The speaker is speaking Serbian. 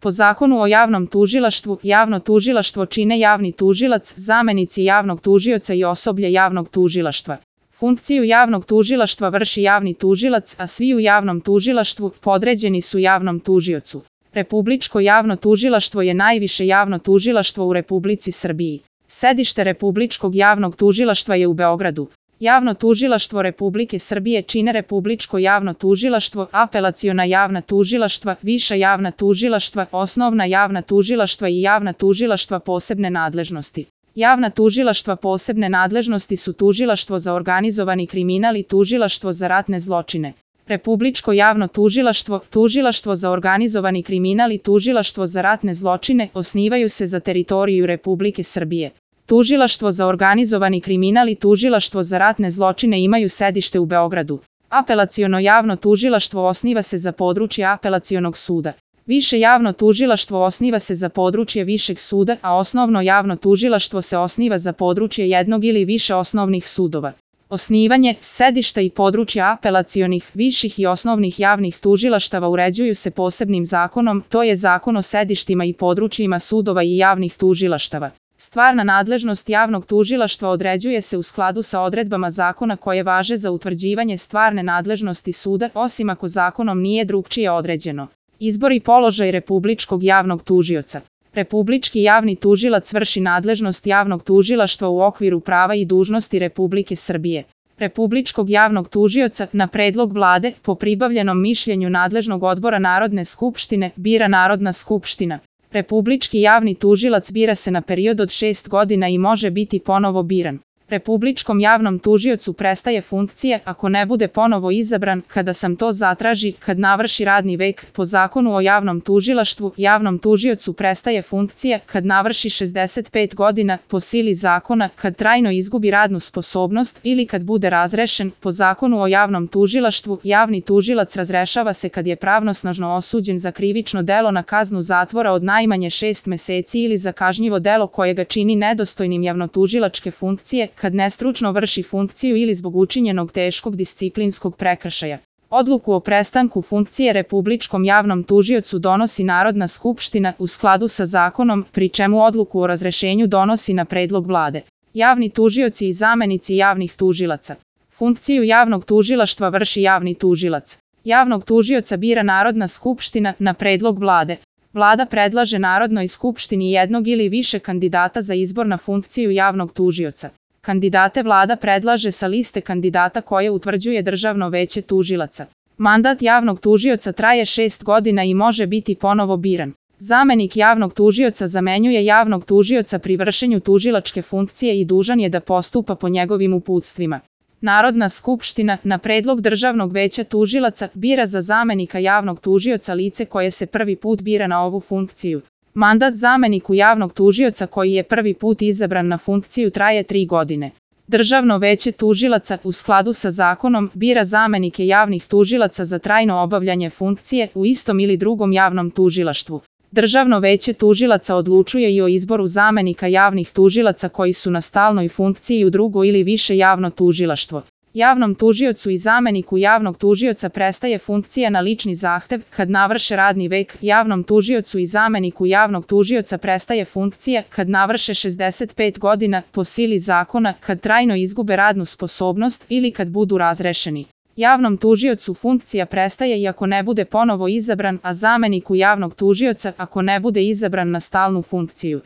Po Zakonu o javnom tužilaštvu, javno tužilaštvo čine javni tužilac, zamenici javnog tužioca i osoblje javnog tužilaštva. Funkciju javnog tužilaštva vrši javni tužilac, a svi u javnom tužilaštvu podređeni su javnom tužiocu. Republičko javno tužilaštvo je najviše javno tužilaštvo u Republici Srbiji. Sedište Republičkog javnog tužilaštva je u Beogradu. Javno tužilaštvo Republike Srbije čine Republičko javno tužilaštvo, apelaciona javna tužilaštva, viša javna tužilaštva, osnovna javna tužilaštva i javna tužilaštva posebne nadležnosti. Javna tužilaštva posebne nadležnosti su Tužilaštvo za organizovani kriminal i Tužilaštvo za ratne zločine. Republičko javno tužilaštvo, Tužilaštvo za organizovani kriminal i Tužilaštvo za ratne zločine osnivaju se za teritoriju Republike Srbije. Tužilaštvo za organizovani kriminal i Tužilaštvo za ratne zločine imaju sedište u Beogradu. Apelaciono javno tužilaštvo osniva se za područje apelacionog suda. Više javno tužilaštvo osniva se za područje višeg suda, a osnovno javno tužilaštvo se osniva za područje jednog ili više osnovnih sudova. Osnivanje, sedišta i područja apelacionih, viših i osnovnih javnih tužilaštava uređuju se posebnim zakonom, to je Zakon o sedištima i područjima sudova i javnih tužilaštava. Stvarna nadležnost javnog tužilaštva određuje se u skladu sa odredbama zakona koje važe za utvrđivanje stvarne nadležnosti suda, osim ako zakonom nije drugčije određeno. Izbor i položaj Republičkog javnog tužioca. Republički javni tužilac vrši nadležnost javnog tužilaštva u okviru prava i dužnosti Republike Srbije. Republičkog javnog tužioca, na predlog Vlade, po pribavljenom mišljenju nadležnog odbora Narodne skupštine, bira Narodna skupština. Republički javni tužilac bira se na period od 6 godina i može biti ponovo biran. Republičkom javnom tužiocu prestaje funkcija ako ne bude ponovo izabran, kada sam to zatraži, kad navrši radni vek. Po Zakonu o javnom tužilaštvu, javnom tužiocu prestaje funkcija kad navrši 65 godina, po sili zakona, kad trajno izgubi radnu sposobnost ili kad bude razrešen. Po Zakonu o javnom tužilaštvu, javni tužilac razrešava se kad je pravnosnažno osuđen za krivično delo na kaznu zatvora od najmanje 6 meseci ili za kažnjivo delo koje ga čini nedostojnim javnotužilačke funkcije, kad nestručno vrši funkciju ili zbog učinjenog teškog disciplinskog prekršaja. Odluku o prestanku funkcije Republičkom javnom tužiocu donosi Narodna skupština u skladu sa zakonom, pri čemu odluku o razrešenju donosi na predlog Vlade. Javni tužioci i zamenici javnih tužilaca. Funkciju javnog tužilaštva vrši javni tužilac. Javnog tužioca bira Narodna skupština na predlog Vlade. Vlada predlaže Narodnoj skupštini jednog ili više kandidata za izbor na funkciju javnog tužioca. Kandidate Vlada predlaže sa liste kandidata koje utvrđuje Državno veće tužilaca. Mandat javnog tužioca traje 6 godina i može biti ponovo biran. Zamenik javnog tužioca zamenjuje javnog tužioca pri vršenju tužilačke funkcije i dužan je da postupa po njegovim uputstvima. Narodna skupština, na predlog Državnog veća tužilaca, bira za zamenika javnog tužioca lice koje se prvi put bira na ovu funkciju. Mandat zameniku javnog tužioca koji je prvi put izabran na funkciju traje 3 godine. Državno veće tužilaca, u skladu sa zakonom, bira zamenike javnih tužilaca za trajno obavljanje funkcije u istom ili drugom javnom tužilaštvu. Državno veće tužilaca odlučuje i o izboru zamenika javnih tužilaca koji su na stalnoj funkciji u drugo ili više javno tužilaštvo. Javnom tužiocu i zameniku javnog tužioca prestaje funkcija na lični zahtev kad navrše radni vek. Javnom tužiocu i zameniku javnog tužioca prestaje funkcija kad navrše 65 godina, po sili zakona, kad trajno izgube radnu sposobnost ili kad budu razrešeni. Javnom tužiocu funkcija prestaje i ako ne bude ponovo izabran, a zameniku javnog tužioca ako ne bude izabran na stalnu funkciju.